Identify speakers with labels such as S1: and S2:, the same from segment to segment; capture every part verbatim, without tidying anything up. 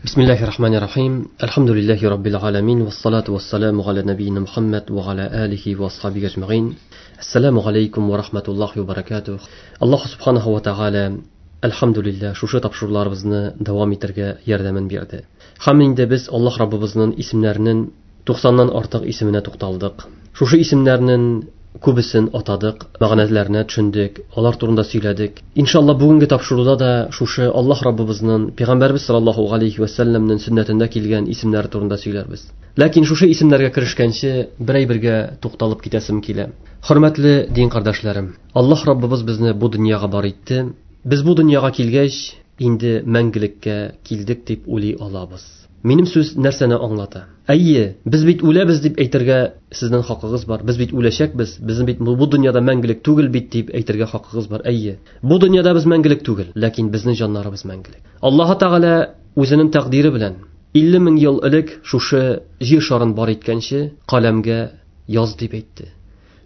S1: Бисмиллахи рахмани рахим. Әлхәмдүлилләһи раббил аламин. Вассалату вассаламу аля набийина Мухаммад ва аля алихи ва асхабихи ажмаин. Ассаламу алейкум ва рахматуллахи ва баракатух. Аллаһ субханаһу ва тааля әлхәмдүлилләһ шушы тапшыруларыбызны дәвам итәргә ярдәмен бирде. Һәм инде без Аллаһ Раббыбызның исемнәренең туксаннан артык исеменә тукталдык. Шушы исемнәрнең күбесен атадык, мәгънәләренә төшендек, алар турында сөйләдек. Иншалла бүгенге тапшыруда да шушы Аллаһ Раббыбызның Пәйгамбәрбез саллаллаһу алейхи ва сәлләмнең сөннәтендә килгән исемнәре турында сөйләрбез. Ләкин шушы исемнәргә керешкәнче бер әйбергә тукталып китәсем килә. Хөрмәтле дин кардәшләрем, Аллаһ Раббыбыз безне бу дөньяга бар итте. Без бу дөньяга килгәч, инде мәңгелеккә килдек дип уйлый алабыз. Минем сүз нәрсәне аңлата? Әйе, без бит үләбез дип әйтергә сезнең хакыгыз бар. Без бит үләчәкбез, безнең бит бу дөньяда мәңгелек түгел бит дип әйтергә хакыгыз бар. Әйе, бу дөньяда без мәңгелек түгел, ләкин безнең җаннарыбыз мәңгелек. Аллаһ Тәгалә үзенең тәкъдире белән илле мең ел элек шушы җир шарын бар иткәнче каләмгә яз дип әйтте.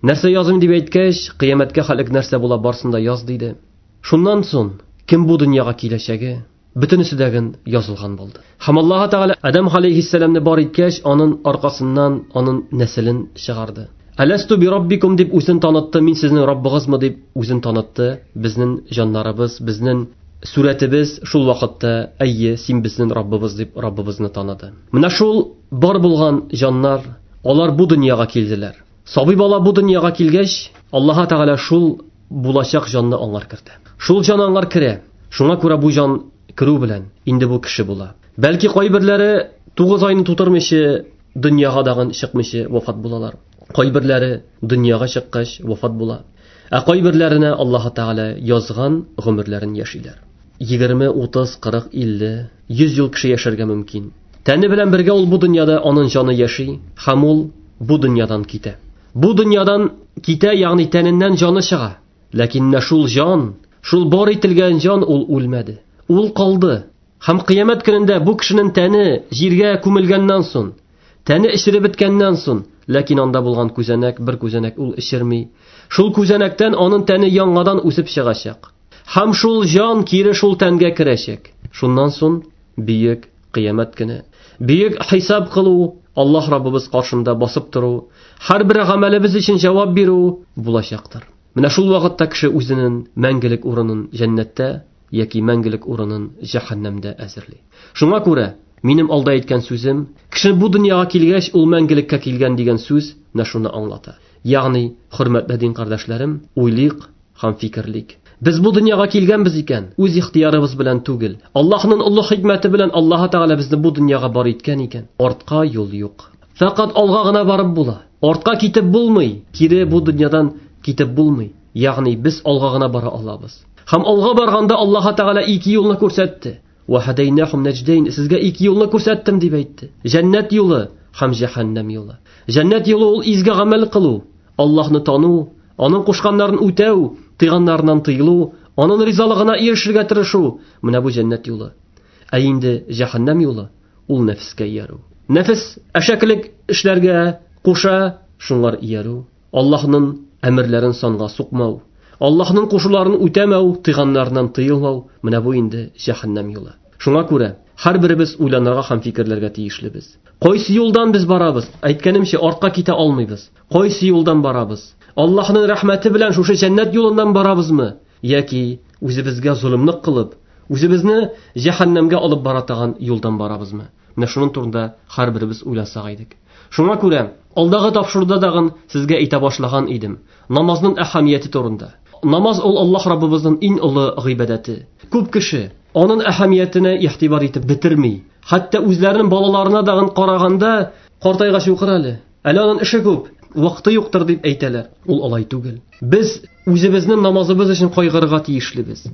S1: Нәрсә язым дип әйткәч, кыямәткә хәлек нәрсә була барсын да яз диде. Шуннан соң кем бу дөньяга киләчәге бөтенесе дәген язылган булды. Һәм Аллаһ Тәгалә Адам алейһиссәламне бар иткәч, аның аркасыннан аның нәселен чыгарды. Аласту би раббикум дип үзен танытты, мин сезнең Раббыгызмы дип үзен танытты. Безнең җаннарыбыз, безнең сурәтебез шул вакытта әйе, син безнең Раббыбыз дип Раббыбызны таныды. Менә шул бар булган җаннар, алар бу дөньяга килделәр. Сабый бала бу дөньяга килгәч, Аллаһ Тәгалә шул булачак җанны аңар кертә. Шул җан аңар керә. Шуңа күрә бу җан керү белән инде бу кеше була. Бәлки кайберләре тугыз айны тутырмыйча дөньяга дагын чыкмыйча вафат булалар. Кайберләре дөньяга чыккач вафат була. Ә кайберләренә Аллаһ Тәгалә язган гомерләрен яшиләр. Егерме, утыз, кырык, илле, йөз ел кеше яшәргә мөмкин. Тәне белән бергә ул бу дөньяда аның җаны яши һәм ул бу дөньядан китә. Бу дөньядан китә, ягъни тәненнән җаны чыга. Ләкин менә шул җан, шул бар ителгән җан ул үлмәде. Ул калды. Һәм кыямәт көнендә бу кешенең тәне җиргә күмелгәннән соң, тәне эчереп беткәннән соң, ләкин анда булган күзәнәк, бер күзәнәк ул эчерми. Шул күзәнәктән аның тәне яңадан үсеп чыгачак. Һәм шул җан кире шул тәнгә керәчәк. Шуннан соң бөек кыямәт көне, бөек хисап кылу, Аллаһ Раббыбыз каршында басып тору, һәрбер гамәлебез өчен җавап бирү булачактыр. Менә шул вакытта кеше үзенең мәңгелек урынын җәннәттә яки мәңгелек урынын җәһәннәмдә әзерли. Шуңа күрә минем алда әйткән сүзем, кеше бу дөньяга килгәч, ул мәңгелеккә килгән дигән сүз менә шуны аңлата. Ягъни, хөрмәтле дин кардәшләрем, уйлыйк һәм фикерлик. Без бу дөньяга килгәнбез икән, үз ихтиярыбыз белән түгел. Аллаһның олы хикмәте белән Аллаһ Тәгалә безне бу дөньяга бар иткән икән, артка юл юк. Фәкать алга гына барып була. Артка китеп булмый, кире бу дөньядан китеп булмый. Ягъни без алга гына бара алабыз. Һәм алга барганда Аллаһ Тәгалә ике юлны күрсәтте. Ва һадайнахум наҗдайн, сезгә ике юлны күрсәттем дип әйтте. Җәннәт юлы һәм җәһәннәм юлы. Җәннәт юлы ул изге гамәл кылу, Аллаһны тану, аның кушканнарын үтәү, тыйганнарыннан тыелу, аның ризалыгына ирешергә тырышу. Менә бу җәннәт юлы. Ә инде җәһәннәм юлы ул нәфескә иярү. Нәфес әшәкелек эшләргә куша, шуңар иярү. Аллаһның әмерләрен санга сукмау, Аллаһның кушуларын үтәмәү, тыйганнарыннан тыелмау, менә бу инде җәһәннәм юлы. Шуңа күрә һәрберебез уйланырга һәм фикерләргә тиешлебез. Кайсы юлдан без барабыз? Әйткәнемчә, артка китә алмыйбыз. Кайсы юлдан барабыз? Аллаһның рәхмәте белән шушы җәннәт юлыннан барабызмы? Яки үзебезгә золымлык кылып, үзебезне җәһәннәмгә алып бара торган юлдан барабызмы? Менә шуның турында һәрберебез уйласак идек. Шуңа күрә алдагы тапшыруда дагын сезгә әйтә башлаган идем. Намазның әһәмияте турында. Намаз ул Аллаһ Раббыбызның иң олы гыйбадәте. Күп кеше аның әһәмиятенә игътибар итеп бетерми. Хәтта үзләренең балаларына дагын караганда, картайгач укыр әле. Әле аның эше күп, вакыты юктыр дип әйтәләр. Ул алай түгел. Без үзебезнең намазыбыз өчен кайгырырга тиешлебез.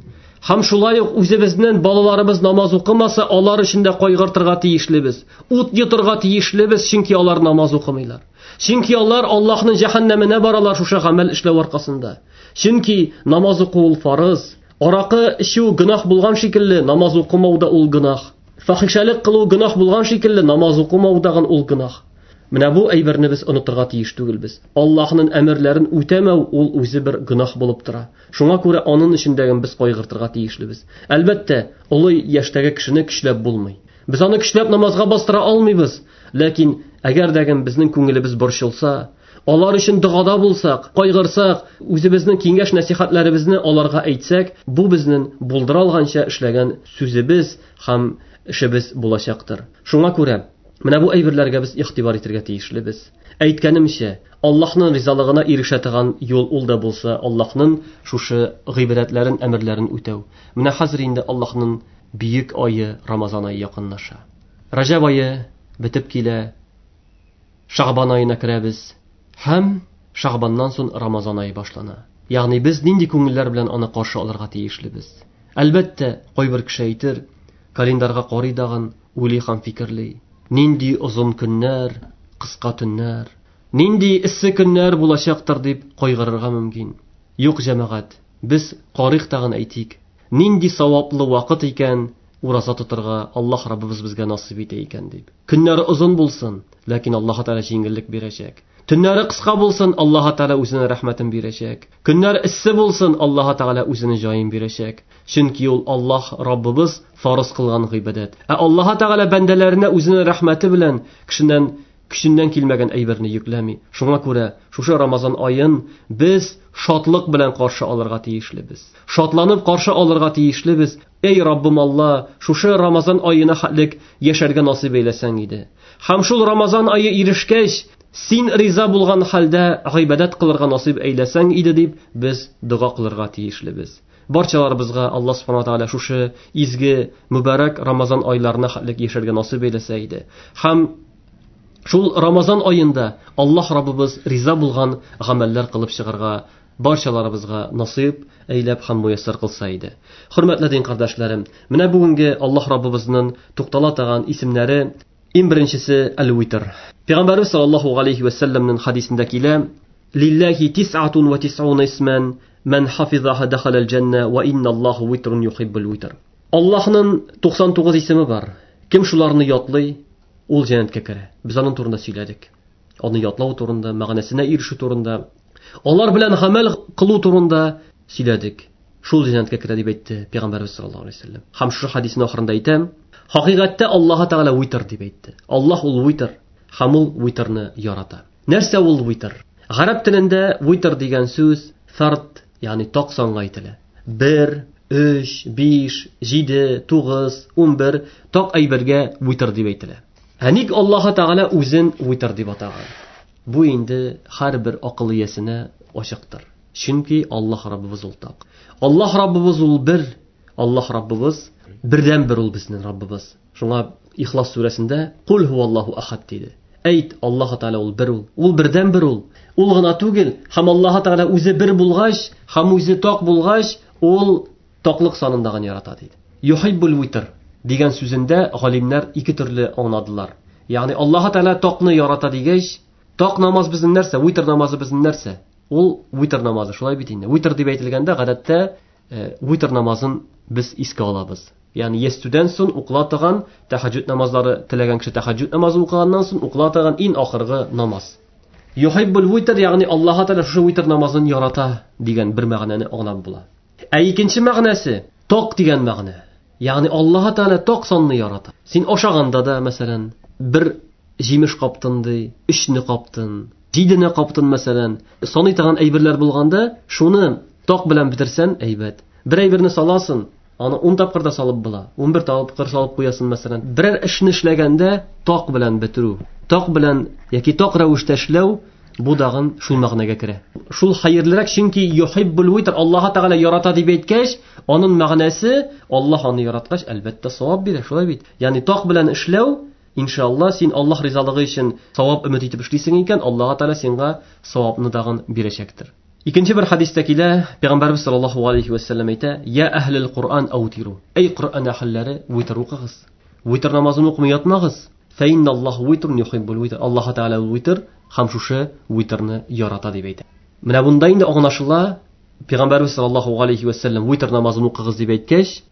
S1: Һәм шулай ук үзебезнең балаларыбыз намаз укымаса, алар өчен дә кайгыртырга тиешлебез. Ут йотырга тиешлебез, чөнки алар намаз укымыйлар. Чөнки алар Аллаһның җәһәннәменә баралар шушы гамәл эшләү аркасында. Чөнки намаз уку ул фарыз. Аракы эчү гөнаһ булган шикелле, намаз укымау да ул гөнаһ. Фахишәлек кылу гөнаһ булган шикелле, намаз укымау да ул гөнаһ. Менә бу әйберне без онытырга тиеш түгелбез. Аллаһның әмерләрен үтәмәү ул үзе бер гөнаһ булып тора. Шуңа күрә аның эчендәген без кайгыртырга тиешлебез. Әлбәттә, олы яшьтәге кешене көчләп булмый. Без аны көчләп намазга бастыра алмыйбыз. Ләкин әгәр дә безнең күңелебез борчылса, алар өчен догада булсак, кайгырсак, үзебезнең киңәш нәсихәтләребезне аларга әйтсәк, бу безнең булдыра алганча эшләгән сүзебез һәм эшебез булачактыр. Шуңа күрә менә бу әйберләргә без игътибар итәргә тиешлебез. Әйткәнемчә, Аллаһның ризалыгына ирешә торган юл ул да булса Аллаһның шушы гыйбадәтләрен, әмерләрен үтәү. Менә хәзер инде Аллаһның бөек ае Рамазан ае якынлаша. Раҗаб ае бетеп килә. Шагбан аена керәбез. Һәм Шагбаннан соң Рамазан ае башлана. Ягъни без нинди күңелләр белән аны каршы алырга тиешлебез? Әлбәттә, кайбер кеше әйтер, календарга карый дагын, уйлый һәм фикерли. Нинди озын көннәр, кыска төннәр, нинди эссе көннәр булачактыр дип кайгырырга мөмкин. Юк, җәмәгать, без карыйк тагын әйтик. Нинди саваплы вакыт икән ураза тотырга Аллаһ Раббыбыз безгә насыйп итә икән дип. Көннәре озын булсын, ләкин Аллаһ Тәгалә җиңеллек бирәчәк. Төннәре кыска булсын, Аллаһ Тәгалә үзенең рәхмәтен бирәчәк. Көннәр эссе булсын, Аллаһ Тәгалә үзенең җаен бирәчәк. Чөнки ул Аллаһ Раббыбыз фарыз кылган гыйбадәт. Ә Аллаһ Тәгалә бәндәләренә үзенең рәхмәте белән кешеннән көченнән килмәгән әйберне йөкләми. Шуңа күрә шушы Рамазан аен без шатлык белән каршы алырга тиешлебез. Шатланып каршы алырга тиешлебез. Эй Раббым Алла, шушы Рамазан аена хәтлек яшәргә насыйп әйләсәң иде. Һәм шул Рамазан ае ирешкәч, син риза булган хәлдә гыйбадәт кылырга насыйп әйләсәң иде дип без дога кылырга тиешлебез. Барчаларыбызга Аллаһ субхана ва тааля шушы изге мөбарәк Рамазан айларына хәтлек яшәргә насыйп әйләсә иде. Һәм шул Рамазан аенда Аллаһ Раббыбыз риза булган гамәлләр кылып чыгарга барчаларыбызга насыйп әйләп һәм муяссар кылса иде. Хөрмәтле дин кардәшләрем, менә бүгенге Аллаһ Раббыбызның туктала торган исемнәре иң беренчесе Әл-Витр. Пәйгамбәрбез саллаллаһу алейхи ва сәлләмнең хадисендә килә: "Лиллахи тис'атун ва тис'уна исман, ман хафизаха дахалал җанна ва инналлаһу витрун юхиббул витр." Аллаһның туксан тугыз исеме бар. Кем шуларны ятлый, ул җәннәткә керә. Без аның турында сөйләдек. Аны ятлау турында, мәгънәсенә ирешү турында, алар белән гамәл кылу турында сөйләдек. Шул җәннәткә керә дип әйтте Пәйгамбәрбез саллаллаһу алейһи ва сәлләм. Һәм шушы хадисның ахырында әйтәм, хакыйкатьтә Аллаһ Тәгалә витр дип әйтте. Аллаһ ул витр, һәм ул витрны ярата. Нәрсә ул витр? Гарәп телендә витр дигән сүз фард, ягъни так санга әйтелә. Бер, өч, биш, җиде, тугыз, унбер так әйбергә витр дип әйтелә. Ә ник Аллаһ Тәгалә үзен витр дип атаган? Бу инде һәрбер акыл иясенә ачыктыр. Чөнки Аллаһ Раббыбыз ул так. Аллаһ Раббыбыз ул бер, Аллаһ Раббыбыз бердән бер ул безнең Раббыбыз. Шуңа Ихлас сүрәсендә Кул һуаллаһу ахад диде. Әйт, Аллаһ Тәгалә ул бер ул. Ул бердән бер ул. Ул гына түгел, һәм Аллаһ Тәгалә үзе бер булгач, һәм үзе так булгач, ул таклык санында гына ярата диде. Юхиббул витр дигән сүзендә галимнәр ике төрле аңладылар. Ягъни Аллаһ Тәгалә такны ярата дигәч, так намаз безнең нәрсә? Витр намазы безнең нәрсә? Ул витр намазы, шулай бит инде. Витр дип әйтелгәндә, гадәттә витр намазын без искә алабыз. Ягъни ястүдән соң укыла торган тәһәҗҗүд намазлары, теләгән кеше тәһәҗҗүд намазы укыганнан соң укыла торган иң ахыргы намаз. Юхиббул витр, ягъни Аллаһ Тәгалә шушы витр намазын ярата дигән бер мәгънәне аңлап була. Ә икенче мәгънәсе ток дигән мәгънә. Ягъни Аллаһ Тәгалә ток санны ярата. Син ашаганда да, мәсәлән, бер җимеш каптын ди, өчне каптын, җидене каптын, мәсәлән. Саный торган әйберләр булганда, шуны ток белән бетерсән, әйбәт. Бер әйберне саласың, аны ун тапкыр да салып була. Ун бер тапкыр салып куясың, мәсәлән. Берәр эшне эшләгәндә ток белән бетерү, ток белән яки ток рәвештә эшләү, бу дагын шул мәгънәгә керә. Шул хәерлерәк, чөнки юхиббул витр, Аллаһ Тәгалә ярата дип әйткәч, аның мәгънәсе Аллаһ аны яраткач, әлбәттә савап бирә, шулай бит. Ягъни ток белән эшләү, иншалла, син Аллаһ ризалыгы өчен савап өмет итеп эшлисең икән, Аллаһ Тәгалә сиңа савапны дагын бирәчәктер. Икенче бер хадистә килә, Пәйгамбәрбез саллаллаһу алейхи ва сәлләм әйтә: "Я әһлел Куръан аутиру." Эй Куръан әһелләре, витр укыгыз. Витр намазын укымый ятмагыз. Фә инналлаһу витрун юхиббул витр. Аллаһ Тәгалә витр һәм шушы витрны ярата дип әйтә. Менә бунда инде аңлашыла, Пәйгамбәрбез саллаллаһу алейхи ва сәлләм витр намазын укыгыз дип әйткәч,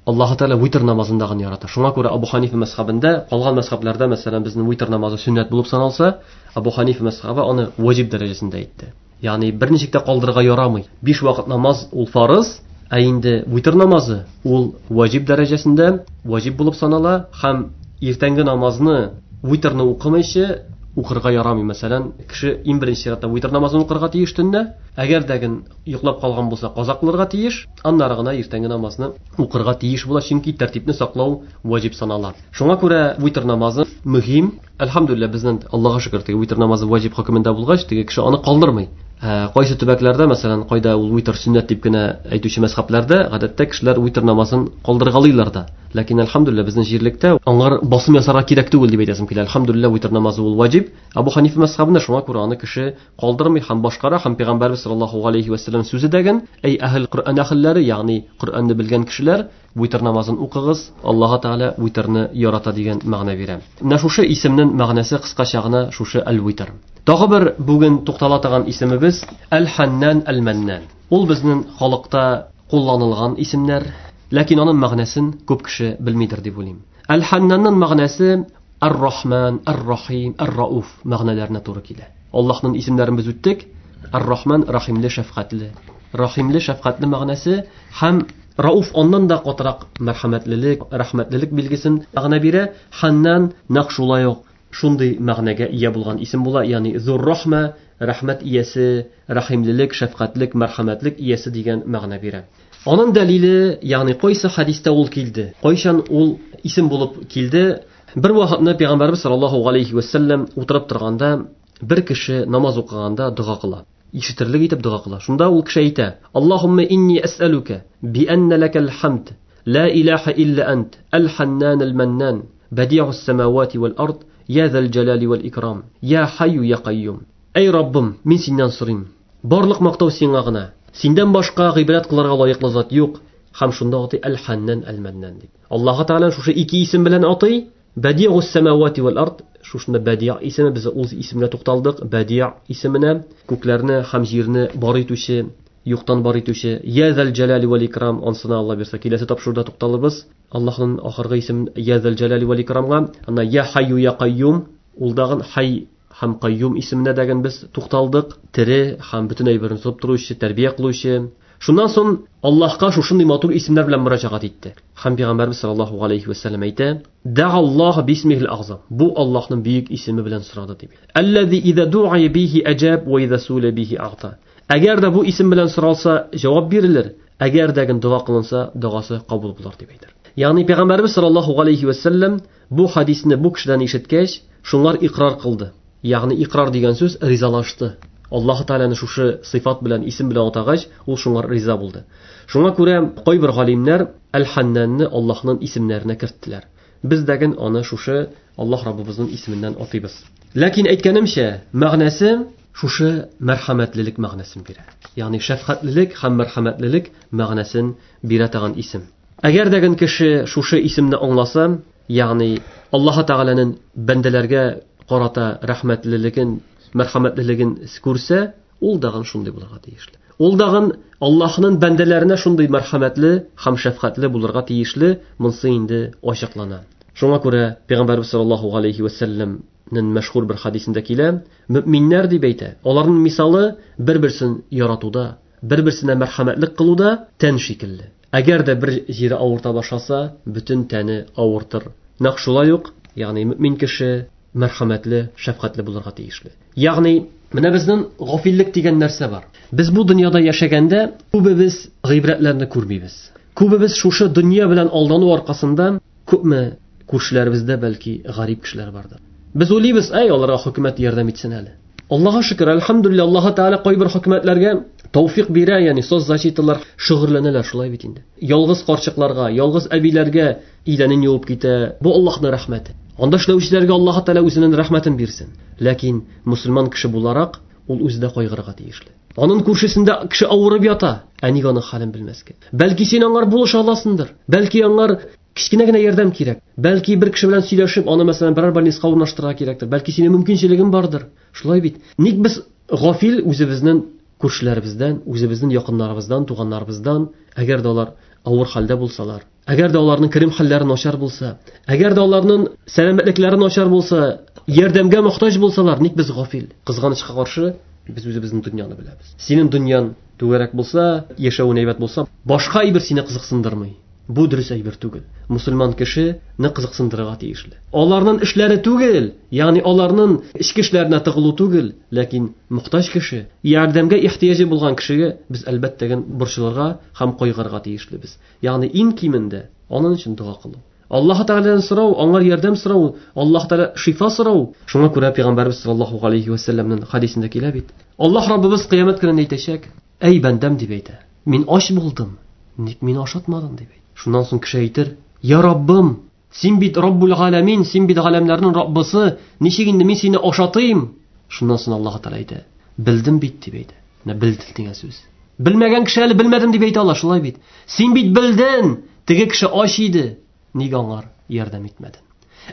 S1: Аллаһ Тәгалә витр намазын да гына ярата. Шуңа күрә Абу Ханифа мәзһәбендә, калган мәзһәбләрдә, мәсәлән, безнең витр намазы сөннәт булып саналса, Абу Ханифа мәзһәбе аны ваҗиб дәрәҗәсендә әйтте. Ягъни берничек тә калдырырга ярамый. Биш вакыт намаз ул фарыз, ә инде витр намазы ул ваҗиб дәрәҗәсендә ваҗиб булып санала һәм Иртәнге намазны витрны укымыйча укырга ярамый. Мәсәлән, кеше иң беренче чиратта витр намазын укырга тиеш төнлә. Әгәр дә йоклап калган булса, каза кылырга тиеш, аннары гына иртәнге намазны укырга тиеш була, чөнки тәртипне саклау ваҗиб санала. Шуңа күрә витр намазы мөһим. Әлхәмдүлилләһ, безнең Аллаһка шөкер, теге витр намазы ваҗиб хөкемендә булгач, теге кеше аны калдырмый. Кайсы төбәкләрдә, мәсәлән, кайда ул витр сөннәт дип кенә әйтүче мәзһәбләрдә, гадәттә кешеләр витр намазын калдыргалыйлар да. Ләкин әлхәмдүлилләһ, безнең җирлектә аңар басым ясарга кирәк түгел дип әйтәсем килә. Әлхәмдүлилләһ, витр намазы ул ваҗиб. Абу Ханифа мәзһәбендә шуңа күрә аны кеше калдырмый һәм башкара, һәм Пәйгамбәрбез саллаллаһу алейхи ва сәлләм сүзе дәген, әй әһел Коръән әһелләре, ягъни Коръәнне белгән кешеләр, витр намазын укыгыз, Аллаһ Тәгалә витрны ярата дигән мәгънә бирә. Менә шушы исемнең мәгънәсе кыскача гына шушы әл-витр. Тагы бер бүген туктала торган исемебез Әл-Ханнан Әл-Маннан. Ул безнең халыкта кулланылган исемнәр, ләкин аның мәгънәсен күп кеше белмидер дип уйлыйм. Әл-Ханнанның мәгънәсе Ар-Рахман, Ар-Рахим, Ар-Рауф мәгънәләренә туры килә. Аллаһның исемнәрен без үттек. Ар-Рахман рахимле, шәфкатьле. Рахимле, шәфкатьле мәгънәсе һәм Рауф аннан да катырак мәрхәмәтлелек, рәхмәтлелек билгесен мәгънә бирә. Ханнан нәкъ шулай ук шундый мәгънәгә ия булган исем була, ягъни зур рахма, рәхмәт иясе, рәхимлелек, шәфкатьлек, мәрхәмәтлек иясе дигән мәгънә бирә. Аның дәлиле, ягъни кайсы хәдистә ул килде, кайчан ул исем булып килде? Бер вакытны Пәйгамбәрбез саллаллаһу алейхи ва сәлләм утырып торганда, бер кеше намаз укыганда дога кыла. Ишетерлек итеп дога кыла. Шунда ул кеше әйтә: Аллаһумма инни әсәлүкә би анна лакал хамд, ла илаһа илля ант, әл-ханнан әл-маннан, бадиус самавати вал ард, я зал җалали вал икрам, я хайю я кайюм. Әй Раббым, мин синнән сорыйм. Барлык мактау сиңа гына. Синдән башка гыйбадәт кылырга лаеклы зат юк. Һәм шунда атый әл-ханнан әл-маннан дип. Аллаһ Тәгалә шушы ике исем белән атый. Бадиус самавати вал ард, шушында Бадиа исеме, без ул исемгә тукталдык. Бадиа исеменә күкләрне һәм җирне бар итүче, юктан бар итүче, я зал җалали вал икрам, ансына Алла бирсә киләсе тапшыруда тукталыбыз. Аллаһның ахыргы исеме я зал җалали вал икрамга, анда я хайю я кайюм, ул дагын хай һәм кайюм исеменә дәген без тукталдык. Тере һәм бөтен әйберне тотып торучы, тәрбия кылучы. Шуннан соң Аллаһка шушындый матур исемнәр белән мөрәҗәгать итте. Һәм Пәйгамбәрбез саллаллаһу алейхи ва сәлләм әйтә: "Дәгаллаһ бисмихил агзам." Бу Аллаһның бөек исеме белән сорады дип. Аллази иза дуа бихи аҗаб ва иза сула бихи агта. Әгәр дә бу исем белән соралса, җавап бирелер. Әгәр дә дога кылынса, догасы кабул булыр дип әйтер. Ягъни Пәйгамбәрбез саллаллаһу алейхи ва сәлләм бу хадисне бу кешедән ишеткәч, шуңар икрар кылды. Ягъни икрар дигән сүз ризалашты. Аллаһ Тәгаләне шушы сыйфат белән, исем белән атагач, ул шуңар риза булды. Шуңа күрә кайбер галимнәр Әл-Ханнанны Аллаһның исемнәренә керттеләр. Без дәген аны шушы Аллаһ Раббыбызның исеменнән атыйбыз. Ләкин әйткәнемчә, мәгънәсе шушы мәрхәмәтлелек мәгънәсен бирә. Ягъни шәфкатьлелек һәм мәрхәмәтлелек мәгънәсен бирә торган исем. Әгәр дәген кеше шушы исемне аңласа, ягъни Аллаһ Тәгаләнең бәндәләргә карата рәхмәтлелеген, мәрхәмәтлелеген күрсә, ул дагын шундый булырга тиешле. Ул дагын Аллаһның бәндәләренә шундый мәрхәмәтле һәм шәфкатьле булырга тиешле, монсы инде ачыклана. Шуңа күрә Пәйгамбәрбез саллаллаһу алейхи ва сәлләмнең мәшһүр бер хадисендә килә, мөминнәр дип әйтә, аларның мисалы бер-берсен яратуда, бер-берсенә мәрхәмәтлек кылуда тән шикелле. Әгәр дә бер җире авырта башласа, бөтен тәне авыртыр. Нәкъ шулай ук, ягъни мөмин кеше мәрхәмәтле, шәфкатьле булырга тиешле. Ягъни менә безнең гафиллек дигән нәрсә бар. Без бу дөньяда яшәгәндә күбебез гыйбрәтләрне күрмибез. Күбебез шушы дөнья белән алдану аркасында күпме күршеләребездә бәлки гарип кешеләр бардыр. Без уйлыйбыз, әй, аларга хөкүмәт ярдәм итсен әле. Аллаһка шөкер, әлхәмдүлилләһ, Аллаһ Тәгалә кайбер хөкүмәтләргә тәүфик бирә, ягъни соцзащиталар шөгыльләнәләр шулай бит инде. Ялгыз карчыкларга, ялгыз әбиләргә идәнен юып китә. Бу Аллаһның рәхмәте. Анда эшләүчеләргә Аллаһ Тәгалә үзенең рәхмәтен бирсен. Ләкин мусульман кеше буларак ул үзе дә кайгырырга тиешле. Аның күршесендә кеше авырып ята, ә нигә аның хәлен белмәскә? Бәлки син аңар булыша аласыңдыр. Бәлки аңар кечкенә генә ярдәм кирәк. Бәлки бер кеше белән сөйләшеп, аны мәсәлән берәр больницага урнаштырырга кирәктер. Бәлки синең мөмкинчелегең бардыр. Шулай бит. Ник без гафил үзебезнең күршеләребездән, үзебезнең якыннарыбыздан, туганнарыбыздан, әгәр дә алар авыр хәлдә булсалар, әгәр дә аларның керем хәлләре начар булса, әгәр дә аларның сәламәтлекләре начар булса, ярдәмгә мохтаҗ булсалар, ник без гафил? Кызганычка каршы, без үзебезнең дөньяны беләбез. Синең дөньяң түгәрәк булса, яшәвең әйбәт булса, башка әйбер сине кызыксындырмый. Бу дөрес әйбер түгел. Мусульман кешене кызыксындырырга тиешле. Аларның эшләре түгел, ягъни аларның эчке эшләренә тыгылу түгел, ләкин мохтаҗ кеше, ярдәмгә ихтыяҗы булган кешегә без әлбәттә борчылырга һәм кайгырырга тиешлебез. Ягъни иң кимендә аның өчен дога кылу. Аллаһ Тәгаләдән сорау, аңар ярдәм сорау, Аллаһ Тәгалә шифа сорау. Шуңа күрә Пәйгамбәрбез саллаллаһу алейхи ва сәлләмнең хадисендә килә бит. Аллаһ Раббыбыз кыямәт көнендә әйтәчәк: "Әй бәндәм", дип әйтә. "Мин ач булдым, ник мине ашатмадың?" дип әйтә. Шуннан соң кеше әйтер: "Я Раббым, син бит Раббул Галәмин, син бит галәмнәрнең Раббысы, ничек инде мин сине ашатыйм?" Шуннан соң Аллаһ Тәгалә әйтә: "Белдем бит", дип әйтә. Менә белдем дигән сүз. Белмәгән кеше әле белмәдем дип әйтә ала, шулай бит. Син бит белдең, теге кеше ач иде, нигә аңар ярдәм итмәдең?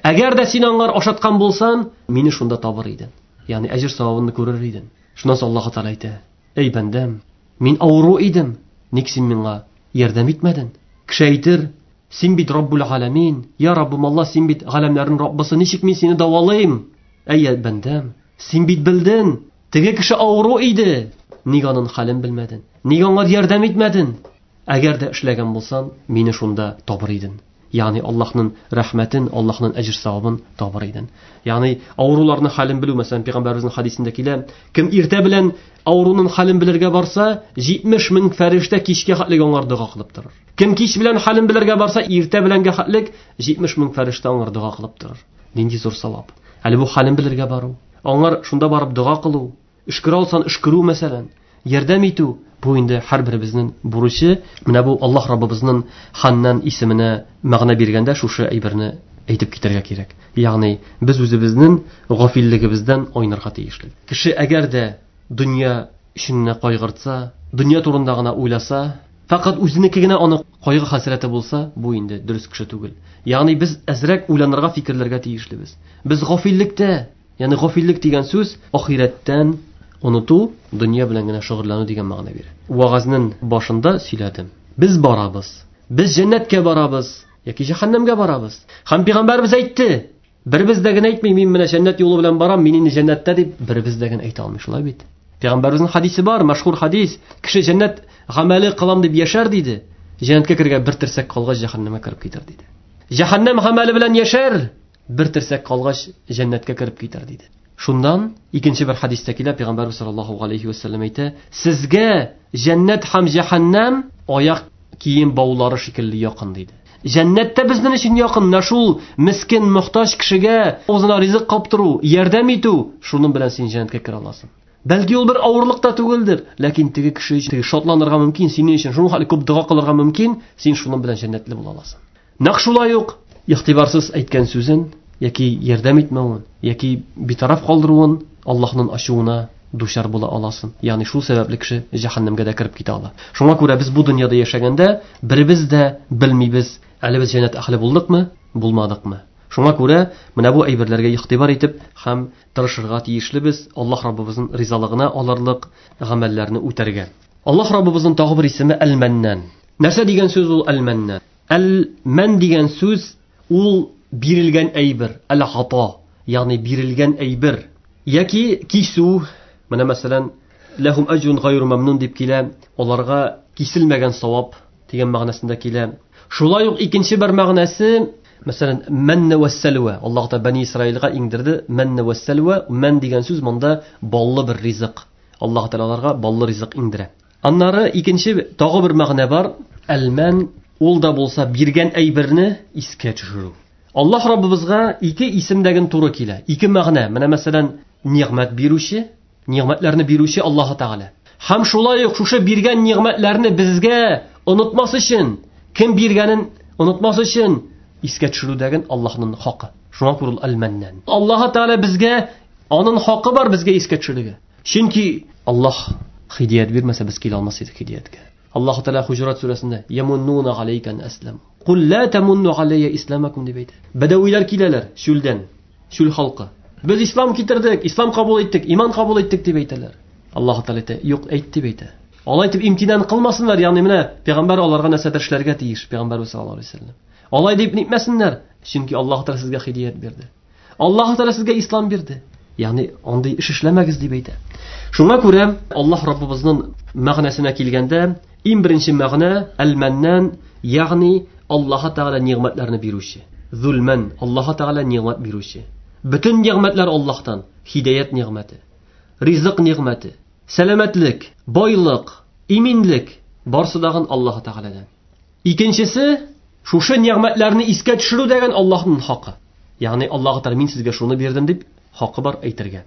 S1: Әгәр дә син аңар ашаткан булсаң, мине шунда табыр идең. Ягъни әҗер савабын күрер идең. Шуннан соң Аллаһ Тәгалә әйтә: "Әй бәндәм, мин авыру идем, ник син миңа ярдәм итмәдең?" Кеше әйтер: "Син бит Раббул Галәмин, я Раббым Аллаһ, син бит галәмнәрнең Раббысы, ничек мин сине дәвалыйм?" Әй бәндәм, син бит белдең, теге кеше авыру иде, ник аның хәлен белмәдең? Ник аңа ярдәм итмәдең? Әгәр дә эшләгән булсаң, мине шунда табыр идең. Ягъни Аллаһның рәхмәтен, Аллаһның әҗер савабын табыр идең. Ягъни авыруларның хәлен белү, мәсәлән, Пәйгамбәребезнең хадисендә килә, кем иртә белән авыруның хәлен белергә барса, җитмеш мең фәрештә кичкә хәтлек аңар дога кылып торыр. Кем кич белән хәлен белергә барса, иртә беләнгә хәтлек җитмеш мең фәрештә аңар дога кылып торыр. Нинди зур савап. Әле бу хәлен белергә бару, аңар шунда барып дога кылу, өшкерә алсаң өшкерү мәсәлән, ярдәм итү, бу инде һәрберебезнең бурычы. Менә бу Аллаһ Раббыбызның Ханнан исеменә мәгънә биргәндә шушы әйберне әйтеп китәргә кирәк. Ягъни без үзебезнең гафиллегебездән айнырга тиешле. Кеше әгәр дә дөнья өчен кайгыртса, дөнья турында гына уйласа, фақат үзенеке генә аны кайгы хәсрәте булса, бу инде дөрес кеше түгел. Ягъни без әзрәк уйланырга, фикерләргә тиешлебез. Без гафиллектә, ягъни гафиллек дигән сүз ахирәттән оныту, дөнья белән генә шөгыльләнү дигән мәгънә бирә. Вагазның башында сөйләдем. Без барабыз. Без җәннәткә барабыз яки җәһәннәмгә барабыз. Һәм пәйгамбәребез әйтте. Беребез дә генә әйтми, мин менә җәннәт юлы белән барам, мин инде җәннәттә дип, беребез дә генә әйтә алмый, шулай бит. Пәйгамбәребезнең хадисе бар, мәшһүр хадис. Кеше җәннәт гамәле кылам дип яшәр диде. Җәннәткә кергән бер терсәк калгач җәһәннәмгә кереп китәр диде. Җәһәннәм гамәле белән яшәр, бер терсәк калгач җәннәткә кереп китәр диде. Шуннан икенче бер хадистә килә, Пәйгамбәрбез саллаллаһу алейхи ва сәлләм әйтә: "Сезгә җәннәт һәм җәһәннәм аяк кием баулары шикелле якын" диде. Җәннәттә безнең өчен якын, менә шул мискин, мохтаҗ кешегә үзенә ризык каптыру, ярдәм итү, шуның белән син җәннәткә керә аласың. Бәлки ул бер авырлык та түгелдер, ләкин теге кеше өчен шатланырга мөмкин, синең өчен шуның хәтле күп дога кылырга мөмкин, син шуның белән җәннәтле була аласың. Нәкъ шулай ук игътибарсыз әйткән сүзен яки ярдәм итмәвен, яки битараф калдыруын Аллаһның ачуына дучар була аласың. Ягъни шул сәбәпле кеше җәһәннәмгә дә кереп китә ала. Шуңа күрә без бу дөньяда яшәгәндә беребез дә белмибез, әле без җәннәт әһле булдыкмы, булмадыкмы. Шуңа күрә менә бу әйберләргә игътибар итеп һәм тырышырга тиешлебез, Аллаһ Раббыбызның ризалыгына алырлык гамәлләрне үтәргә. Аллаһ Раббыбызның тагы бер исеме Әл-Мәннан. Нәрсә дигән сүз ул Әл-Мәннан? Әл-Мән дигән сүз ул бирелгән әйбер, әл-ата, ягъни бирелгән әйбер яки кисү. Менә мәсәлән, ләһум әҗрун гайру мамнун дип килә, аларга киселмәгән савап дигән мәгънәсендә килә. Шулай ук икенче бер мәгънәсе, мәсәлән, мәнне вәссәлвә. Аллаһ Тәгалә Бани Исраилгә иңдерде мәнне вәссәлвә. Мән дигән сүз монда баллы бер ризык. Аллаһ Тәгалә аларга баллы ризык иңдерә. Аннары икенче тагы бер мәгънә бар. Әл-мән ул да булса биргән әйберне искә төшерү. Аллаһ Раббыбызга ике исемдәген туры килә, ике мәгънә. Менә мәсәлән, нигъмәт бирүче, нигъмәтләрне бирүче Аллаһ Тәгалә. Һәм шулай ук шушы биргән нигъмәтләрне безгә онытмас өчен, кем биргәнен онытмас өчен искә төшерүдәген Аллаһның хакы. Шуңа күрә ул Әл-Мәннан. Аллаһ Тәгалә безгә аның хакы бар безгә искә төшерергә. Чөнки Аллаһ һидәят бирмәсә без килә алмас идек һидәяткә. Аллаһ Тәгалә Хуҗурат сүрәсендә «Ямуннуна галәйкә ан аслам». Кул ла тамунну галәйя исламакум дип әйтә. Бәдәвиләр киләләр чүлдән, чүл халкы. Без ислам китердек, ислам кабул иттек, иман кабул иттек дип әйтәләр. Аллаһ Тәгалә әйтә, юк әйт дип әйтә. Алай дип имтинан кылмасыннар, ягъни менә пәйгамбәр аларга нәрсәдер эшләргә тиеш, пәйгамбәрбез саллаллаһу алейһи ва сәлләм. Алай дип нитмәсеннәр, чөнки Аллаһ Тәгалә сезгә һидәят бирде. Аллаһ Тәгалә сезгә ислам бирде. Ягъни андый эш эшләмәгез дип әйтә. Шуңа күрә Аллаһ Раббыбызның мәгънәсенә килгәндә, иң беренче мәгънә Әл-Мәннан, ягъни Аллаһ Тәгалә нигъмәтләрне бирүче. Зулман, Аллаһ Тәгалә нигъмәт бирүче. Бөтен нигъмәтләр Аллаһтан. Һидаят нигъмәте, ризык нигъмәте, сәламәтлек, байлык, иминлек барсы дагын Аллаһ Тәгаләдән. Икенчесе, шушы нигъмәтләрне искә төшерү дигән Аллаһның хакы. Ягъни Аллаһ Тәгалә мин сезгә шуны бирдем дип хакы бар әйтергә.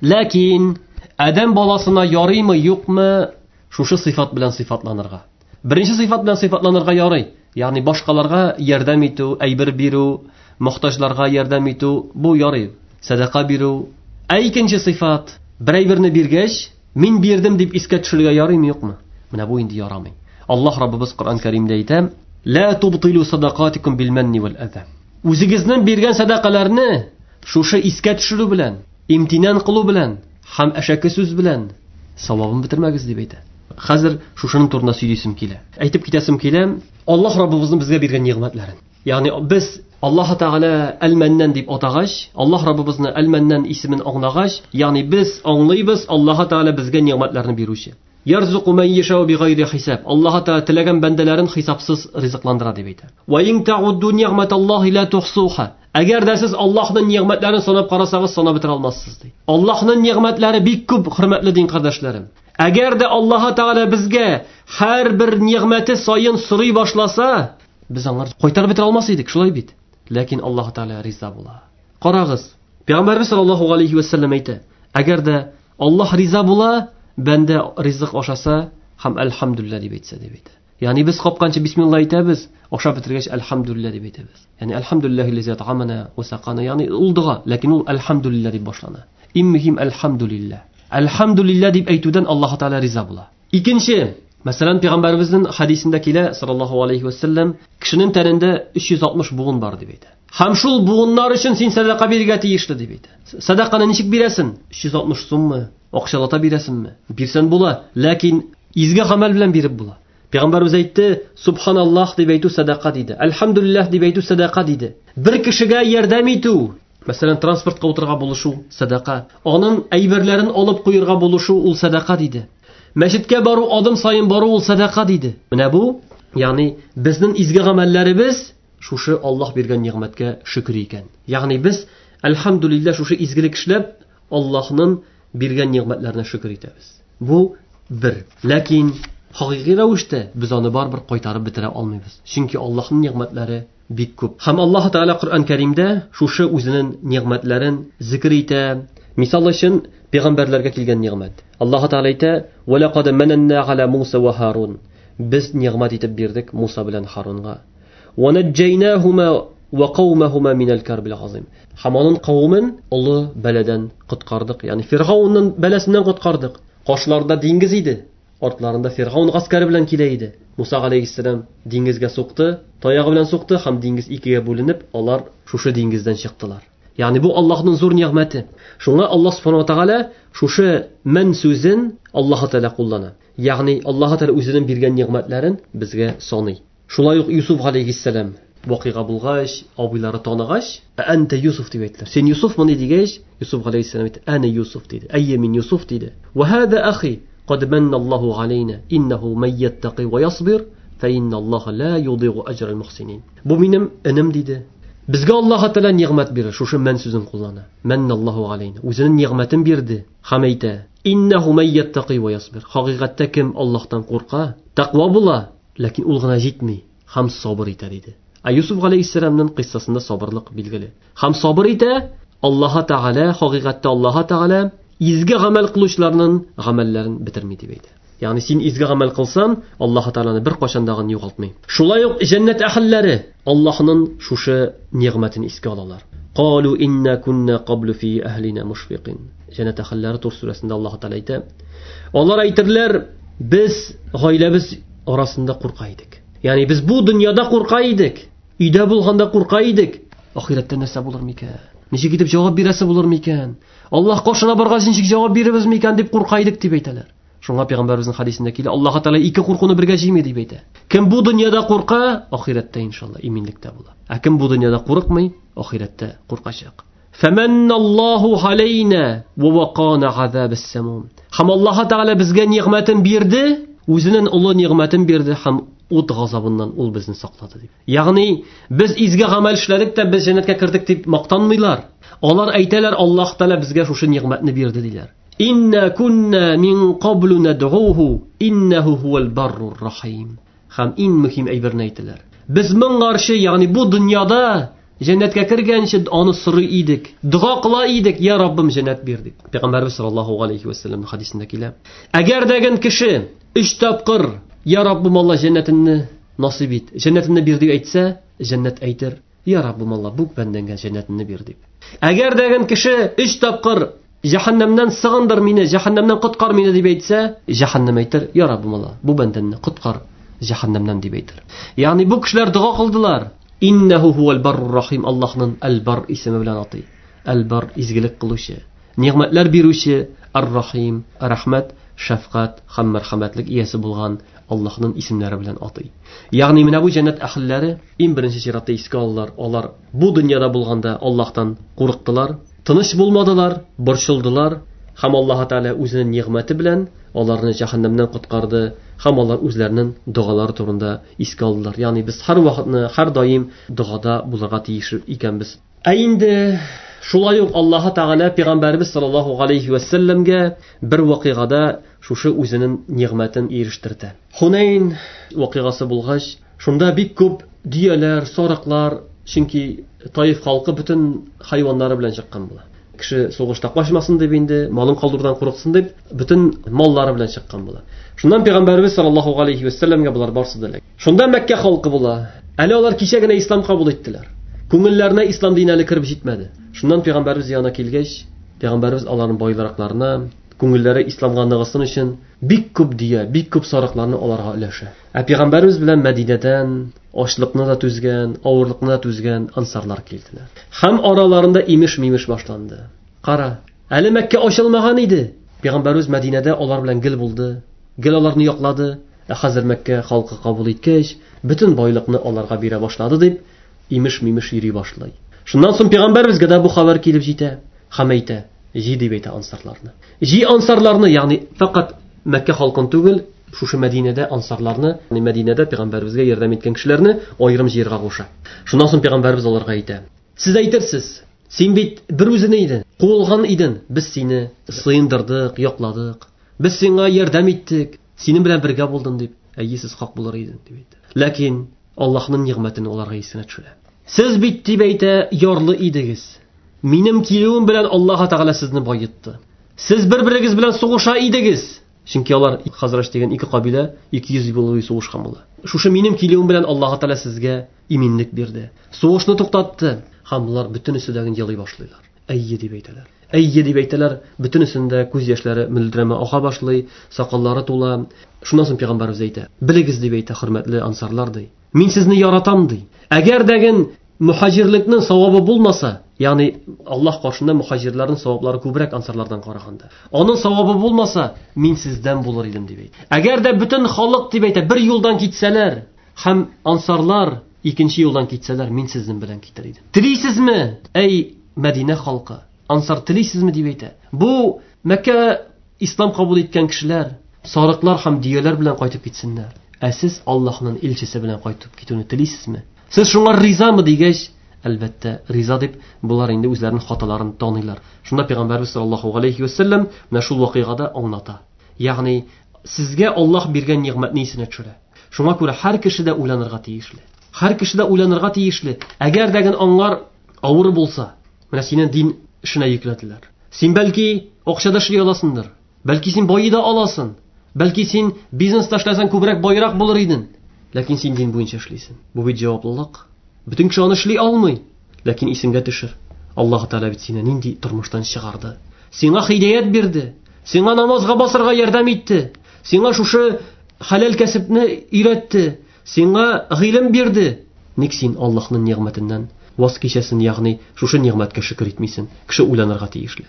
S1: Ләкин адәм баласына ярыймы, юкмы шушы сыйфат белән сыйфатланырга? Беренче сыйфат белән сыйфатланырга ярый. Ягъни башкаларга ярдәм итү, әйбер бирү, мохтаҗларга ярдәм итү бу ярый. Садака бирү. Ә икенче сыйфат, бер әйберне биргәч, мин бирдем дип искә төшерергә ярыймы, юкмы? Менә бу инде ярамый. Аллаһ Раббыбыз Коръән Кәримдә әйтә: "Ла тубтилу садакатикум бил манни вал аза." Үзегезнең биргән садакаларны шушы искә төшерү белән, имтинан кылу белән һәм әшәке сүз белән савабын бетермәгез дип әйтә. Хәзер шушының турында сөйлисем килә. Әйтеп китәсем килә, Аллаһ Раббыбызның безгә биргән нигъмәтләрен. Ягъни без Аллаһ Тәгалә Әл-Мәннан дип атагач, Аллаһ Раббыбызны Әл-Мәннан исемен аңлагач, ягъни без аңлыйбыз Аллаһ Тәгалә безгә нигъмәтләрне бирүче. Ярзуку ман яшау бигайри хисаб. Аллаһ Тәгалә теләгән бәндәләрен хисапсыз ризыкландыра дип әйтә. Ва ин та'удду нигъматаллаһи ла тухсуха. Әгәр дә сез Аллаһның нигъмәтләрен санап карасагыз, санап бетерә алмассыз ди. Аллаһның нигъмәтләре бик күп, хөрмәтле дин кардәшләрем. Әгәр дә Аллаһ Тәгалә безгә һәрбер нигъмәте саен сорый башласа, без аңар кайтарып бетерә алмас идек, шулай бит. Ләкин Аллаһ Тәгалә риза була. Карагыз, Пәйгамбәрбез саллаллаһу алейхи ва саллям әйтә: әгәр дә Аллаһ риза була, бәндә ризык ашаса һәм әлхәмдүлилләһ дип әйтсә дип әйтә. Ягъни без капканчы бисмилла әйтәбез, ашап бетергәч әлхәмдүлилләһ дип әйтәбез. Ягъни әлхәмдүлилләһи ллази ат'амана ва сақана, ягъни ул дога, ләкин ул әлхәмдүлилләһ дип башлана. Иң мөһим әлхәмдүлилләһ. Әлхәмдүлилләһ дип әйтүдән Аллаһ Тәгалә риза була. Икенче, мәсәлән, Пәйгамбәребезнең хадисендә килә, саллаллаһу алейхи ва саллям, кешенең тәнендә өч йөз алтмыш буын бар дип әйтә. Һәм шул буыннар өчен син садака бирергә тиешле дип әйтә. Садаканы ничек бирәсең? Өч йөз алтмыш суммы? Акчалата бирәсеңме? Бирсән була, ләкин изге гамәл белән биреп була. Пәйгамбәребез әйтте, субханаллаһ дип әйтү садака диде. Әлхәмдүлилләһ дип әйтү садака диде. Бер кешегә ярдәм итү, мәсәлән, транспортка утырырга булышу садака. Аның әйберләрен алып куярга булышу ул садака диде. Мәчеткә бару, адым саен бару ул садака диде. Менә бу, ягъни безнең изге гамәлләребез шушы Аллаһ биргән нигъмәткә шөкер икән. Ягъни без әлхәмдүлилләһ шушы изгелек эшләп Аллаһның биргән нигъмәтләренә шөкер итәбез. Бу бер. Ләкин хакыйкый рәвештә без аны барыбер кайтарып бетерә алмыйбыз. Чөнки Аллаһның нигъмәтләре бик күп. Һәм Аллаһ Тәгалә Коръән Кәримдә шушы үзенең нигъмәтләрен зикр итә. Мисал өчен, пәйгамбәрләргә килгән нигъмәт. Аллаһ Тәгалә әйтә: "Ва лақад мананна аля Муса ва Һарун." Без нигъмәт итеп бирдек Муса белән Һарунга. Ва наджайнахума ва каумахума минал карбил азим. Һәм аның кавемен олы бәладән коткардык. Ягъни Фиргавнның бәласеннән коткардык. Кашларында диңгез иде. Артларында Фиргавн гаскәре белән килә иде. Муса алейһиссәлам диңгезгә сукты, таягы белән сукты һәм диңгез икегә бүленеп, алар шушы диңгездән чыктылар. Ягъни бу Аллаһның зур нигъмәте. Шуңа Аллаһ субхану ва тааля шушы мен сүзен Аллаһ Тааля куллана. Ягъни Аллаһ Тааля үзенең биргән нигъмәтләрен безгә саный. Шулай ук Юсуф алейһиссәлам вакыйга булгач, абыйлары таныгач, "Әнтә Юсуф" дип әйттеләр. Син Юсуфмы дигәч, Юсуф алейһиссәлам әйтте: "Әнә Юсуф" диде. "Әйе, мин Юсуф" диде. "Ва һада ахи قد من الله علينا إنه من يتقي ويصبر فإن الله لا يضيع أجر المحسنين." Бу минем энем диде. Безгә Аллаһ Тәгалә нигъмәт бирә. Шушы мен сүзен куллана. Манналлаһу алейна. Үзенең нигъмәтен бирде. Һәм әйтә: "Иннәһу ман яттaqi ва ясбир." Хакыйкатьтә кем Аллаһтан курка, тәкъва була, ләкин ул гына җитми, һәм сабыр итә диде. Ә Юсуф алейһиссәламның кыйссасында сабырлык билгеле. Һәм сабыр итә, Аллаһ Тәгалә, хакыйкатьтә Аллаһ Тәгалә изге гамәл кылучыларның гамәлләрен бетерми дип әйтә. Ягъни син изге гамәл кылсаң, Аллаһ Тәгаләне бер кайчан да югалтмый. Шулай ук җәннәт әһелләре Аллаһның шушы нигъмәтен искә алалар. Калу инна кунна каблу фи әһлина мушфикин. Җәннәт әһелләре Тур сүрәсендә Аллаһ Тәгалә әйтә. Алар әйтерләр, без гаиләбез арасында курка идек. Ягъни без бу дөньяда курка идек. Өйдә булганда курка идек. Ахирәттә нәрсә булыр микән? Ничек итеп җавап бирәсе булыр микән? Аллаһ каршына баргач ничек җавап бирербез микән дип курка идек дип әйтәләр. Шуңа пәйгамбәребезнең хадисендә килә, Аллаһ Тәгалә ике куркуны бергә җыймый дип әйтә. Кем бу дөньяда курка, ахирәттә иншалла иминлектә була. Ә кем бу дөньяда курыкмый, ахирәттә куркачак. Фаманналлаһу алейна ва вақана азабас самум. Һәм Аллаһ Тәгалә безгә нигъмәтен бирде, үзенең олы нигъмәтен бирде һәм ут газабыннан ул безне саклады дип. Ягъни без изге гамәл эшләдек тә без җәннәткә кердек дип мактанмыйлар. Алар әйтәләр, Аллаһ Тәгалә безгә шушы нигъмәтне бирде диләр. Инна кунна мин каблу над'уху иннаху хувал баррур рахим. Һәм иң мөһим әйберне әйтәләр. Без моңарчы, ягъни бу дөньяда җәннәткә кергәнче аны сорый идек, дога кыла идек, я Раббым җәннәт бир дип. Пәйгамбәрбез саллаллаһу алейхи ва саллям хадисендә килә. Әгәр дәген кеше өч тапкыр я Раббым Алла җәннәтеңне насыйп ит, җәннәтеңне бир дип әйтсә, җәннәт әйтер, я Раббым Алла бу бәндәгә җәннәтеңне бир дип. Әгәр дәген кеше өч тапкыр җәһәннәмнән сыгындыр мине, җәһәннәмнән коткар мине дип әйтсә, җәһәннәм әйтер, я Раббым Алла бу бәндәне коткар җәһәннәмнән дип әйтер. Ягъни бу кешеләр дога кылдылар. Иннаху хувал баррур рахим, Аллаһның әл-Бар исеме белән атый. Әл-Бар изгелек кылучы, нигъмәтләр бирүче, ар-Рахим, рәхмәт, шәфкать һәм мәрхәмәтлек иясе булган Аллаһның исемнәре белән атый. Ягъни менә бу җәннәт әһелләре иң беренче чиратта искә алалар. Алар бу дөньяда булганда Аллаһтан курыктылар, тыныч булмадылар, борчылдылар һәм Аллаһ Тәгалә үзенең нигъмәте белән аларны җәһәннәмнән коткарды һәм алар үзләренең догалары турында искә алдылар. Ягъни без һәр вакытны, һәр даим догада булырга тиеш икәнбез. Ә инде шулай ук Аллаһ Тәгалә пәйгамбәрбез саллаллаһу алейхи ва сәлләмгә бер вакыйгада шушы үзенең нигъмәтен ирештерде. Хунайн вакыйгасы булгач, шунда бик күп дөяләр, сарыклар, чөнки Таиф халкы бөтен хайваннары белән чыккан була. Кеше сугышта качмасын дип инде, малын калдырудан курыксын дип, бөтен маллары белән чыккан була. Шуннан пәйгамбәрбез саллаллаһу алейхи ва сәлләмгә булар барсы да элек. Шунда Мәккә халкы була. Әле алар кичә генә ислам кабул иттеләр. Күңелләренә ислам дине әле кереп җитмәде. Шуннан пәйгамбәрбез янына килгәч, пәйгамбәрбез аларның байлыракларына, күңелләре исламга ныгысын өчен бик күп дөя, бик күп сарыкларны аларга өләшә. Ә пәйгамбәрбез белән Мәдинәдән ачлыкны да түзгән, авырлыкны да түзгән ансарлар килделәр. Һәм араларында имеш-мимеш башланды. Кара, әле Мәккә ачылмаган иде. Пәйгамбәрбез Мәдинәдә алар белән гел булды, гел аларны яклады. Ә хәзер Мәккә халкы кабул иткәч, бөтен байлыкны аларга бирә башлады дип имеш-мимеш йөри башлый. Шуннан соң пәйгамбәрбезгә дә бу хәбәр килеп җитә. Һәм әйтә, җи дип әйтә ансарларны. Җи ансарларны, ягъни фақат Мәккә халкын түгел, шушы Мәдинәдә ансарларны, ягъни Мәдинәдә пәйгамбәрбезгә ярдәм иткән кешеләрне аерым җыярга куша. Шуннан соң пәйгамбәрбез аларга әйтә: "Сез әйтерсез, син бит бер үзең идең, куылган идең, без сине сыендырдык, якладык, без сиңа ярдәм иттек, синең белән бергә булдым дип, әйе, сез хак булыр идең", дип әйтә. Ләкин Аллаһның нигъмәтен аларга исенә төшерә. Сез бит дип әйтә, ярлы идегез. Минем килүем белән Аллаһ Тәгалә сезне байытты. Сез бер-берегез белән сугыша идегез. Чөнки алар Хазрач дигән ике кабилә ике йөз ел буе сугышкан була. Шушы минем килүем белән Аллаһ Тәгалә сезгә иминлек бирде. Сугышны туктатты. Һәм булар бөтенесе дә елый башлыйлар. Әйе дип әйтәләр. Әйе дип әйтәләр. Бөтенесендә күз яшьләре мөлдерәмә ага башлый, сакаллары тула. Шуннан соң пәйгамбәрбез әйтә: "Белегез дип әйтә, хөрмәтле ансарлар ди. Мин сезне яратам ди. Әгәр дәген мухаҗирлекнең савабы булмаса, ягъни Аллаһ каршында мухаҗирләрнең саваплары күбрәк ансарлардан караганда. Аның савабы булмаса, мин сездән булыр идем дип әйтә. Әгәр дә бөтен халык дип әйтә, бер юлдан китсәләр һәм ансарлар икенче юлдан китсәләр, мин сезнең белән китәр идем. Телисезме, әй Мәдинә халкы? Ансар телисезме дип әйтә. Бу Мәккә ислам кабул иткән кешеләр сарыклар һәм дөяләр белән кайтып китсеннәр. Ә сез Аллаһның илчесе белән кайтып китүне телисезме? Сез шуңа ризамы дигәч, әлбәттә, риза дип, булар инде үзләренең хаталарын таныйлар. Шунда пәйгамбәрбез саллаллаһу алейхи ва саллям менә шул вакыйгада аңлата. Ягъни сезгә Аллаһ биргән нигъмәтне исенә төшерә. Шуңа күрә һәр кеше дә уйланырга тиешле. Һәр кеше дә уйланырга тиешле. Әгәр дә аңлар авыр булса, менә сине дин эшенә йөкләделәр. Син бәлки акча да эшли аласыңдыр. Бәлки син байый да аласың. Бәлки син бизнеста эшләсәң күбрәк байрак булыр идең. Ләкин син дин буенча эшлисең. Бу бит җаваплылык. Бөтен кеше аны эшли алмый. Ләкин исеңгә төшер. Аллаһ Тәгалә бит сине нинди тормыштан чыгарды. Сиңа һидаят бирде. Сиңа намазга басырга ярдәм итте. Сиңа шушы хәләл кәсепне өйрәтте. Сиңа гыйлем бирде. Ник син Аллаһның нигъмәтеннән ваз кичәсең, ягъни шушы нигъмәткә шөкер итмисең? Кеше уйланырга тиешле.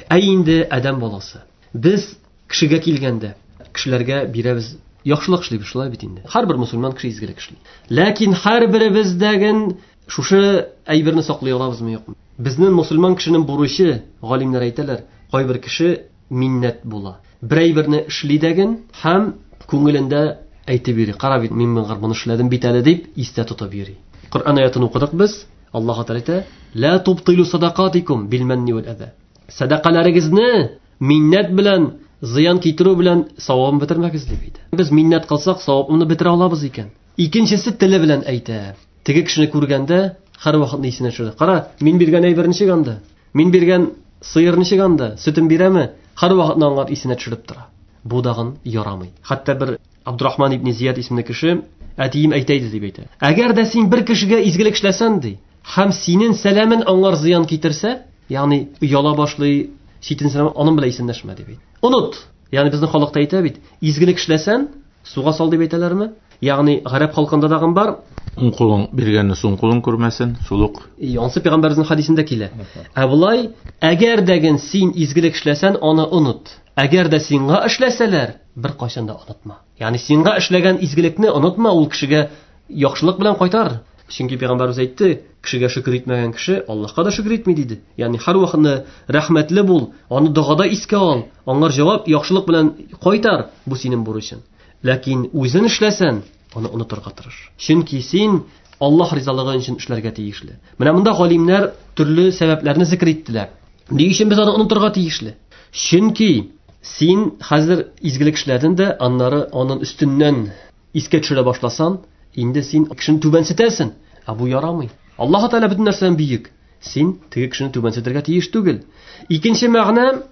S1: Ә инде адәм баласы. Без кешегә килгәндә кешеләргә бирәбез, яхшылык эшлибез, шулай бит инде. Һәрбер мусульман кеше изгелек эшли. Ләкин һәрберебездәген шушы әйберне саклый алабызмы, юкмы? Безнең мусульман кешенең бурычы, галимнәр әйтәләр, кайбер кеше миннәт була. Бер әйберне эшли дәген һәм күңелендә әйтеп йөри. Кара бит, мин моны эшләдем бит әле дип истә тотып йөри. Коръән аятын укыдык без. Аллаһ Тәгалә әйтә: "Ла тубтилу садакатикум бил манни вал аза." Садакаларыгызны миннәт белән, зыян китерү белән савабын бетермәгез дип әйтә. Без миннәт кылсак, савабны бетерә алабыз икән. Икенчесе теле белән әйтә. Теге кешене күргәндә һәр вакыт исенә төшерә. Кара, мин биргән әйбер ничек анда? Мин биргән сыер ничек анда? Сөтен бирәме? Һәр вакытны аңар исенә төшереп тора. Бу дагын ярамый. Хәтта бер Абдурахман ибн Зияд исемле кеше әтием әйтә иде дип әйтә. Әгәр дә син бер кешегә изгелек эшләсәң ди, һәм синең сәламен аңар зыян китерсә, ягъни ояла башлый, читен сәлам аның белән исәнләшмә дип әйтә. Оныт. Ягъни безнең халыкта әйтә бит, изгелек эшләсәң, суга сал дип әйтәләрме? Ягъни гарәп халкында дагын бар.
S2: Уң кулың биргәнне сул кулың күрмәсен, шул ук.
S1: Ансы пәйгамбәребезнең хадисендә килә. Ә болай, әгәр дә син изгелек эшләсәң, аны оныт. Әгәр дә сиңа эшләсәләр, бер кайчан да онытма. Ягъни сиңа эшләгән изгелекне онытма, ул кешегә яхшылык белән кайтар. Чөнки пәйгамбәребез әйтте, кешегә шөкер итмәгән кеше Аллаһка да шөкер итми диде. Ягъни һәр вакытны рәхмәтле бул, аны догада искә ал, аңар җавап яхшылык белән кайтар, бу синең бурычың. Ләкин үзен эшләсәң, аны онытырга тырыш. Чөнки син Аллаһ ризалыгы өчен эшләргә тиешле. Менә монда галимнәр төрле сәбәпләрне зикр иттеләр. Ни өчен без аны онытырга тиешле? Чөнки син хәзер изгелек эшләдең дә, аннары аның өстеннән искә төшерә башласаң, инде син кешене түбәнсетәсең. Ә бу ярамый. Аллаһ Тәгалә бөтен нәрсәдән бөек. Син теге кешене түбәнсетергә тиеш түгел. Икенче мәгънә,